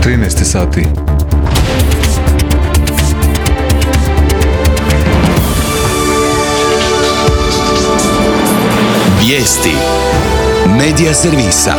13 sati. Vijesti Medija servisa.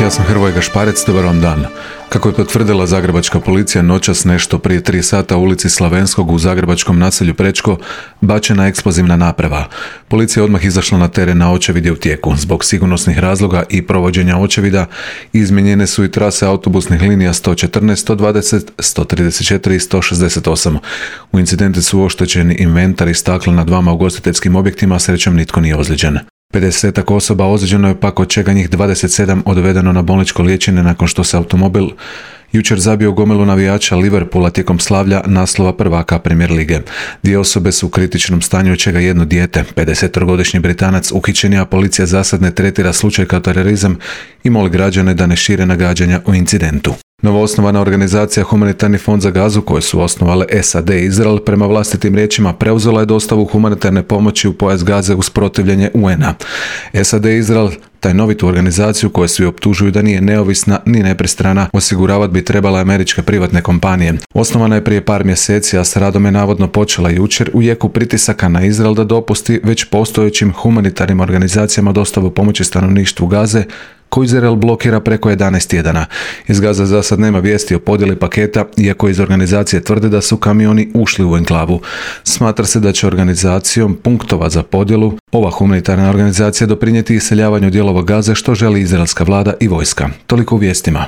Ja sam Hrvoje Gašparec, dobar vam dan. Kako je potvrdila zagrebačka policija, noćas nešto prije 3 sata u ulici Slavenskog u zagrebačkom naselju Prečko bačena eksplozivna naprava. Policija je odmah izašla na teren, na očevid je u tijeku. Zbog sigurnosnih razloga i provođenja očevida izmijenjene su i trase autobusnih linija 114, 120, 134 i 168. U incidentu su oštećeni inventar i stakla na 2 ugostiteljskim objektima, srećom nitko nije ozlijeđen. 50 osoba ozlijeđeno je, pak od čega njih 27 odvedeno na bolničko liječenje nakon što se automobil jučer zabio gomilu navijača Liverpoola tijekom slavlja naslova prvaka Premier lige. 2 osobe su u kritičnom stanju, od čega jedno dijete. 50-godišnji Britanac uhićen je, a policija zasad ne tretira slučaj kao terorizam i moli građane da ne šire nagađanja o incidentu. Novoosnovana organizacija Humanitarni fond za Gazu, koju su osnovale SAD i Izrael, prema vlastitim riječima preuzela je dostavu humanitarne pomoći u pojas Gaze uz protivljenje UN-a. SAD i Izrael tajnovitu organizaciju, koju svi optužuju da nije neovisna ni nepristrana, osiguravat bi trebala američke privatne kompanije. Osnovana je prije par mjeseci, a s radom je navodno počela jučer u jeku pritisaka na Izrael da dopusti već postojećim humanitarnim organizacijama dostavu pomoći stanovništvu Gaze, koju Izrael blokira preko 11 tjedana. Iz Gaze za sad nema vijesti o podjeli paketa, iako iz organizacije tvrde da su kamioni ušli u enklavu. Smatra se da će organizacijom punktova za podjelu ova humanitarna organizacija doprinijeti iseljavanju dijelova Gaze, što želi izraelska vlada i vojska. Toliko u vijestima.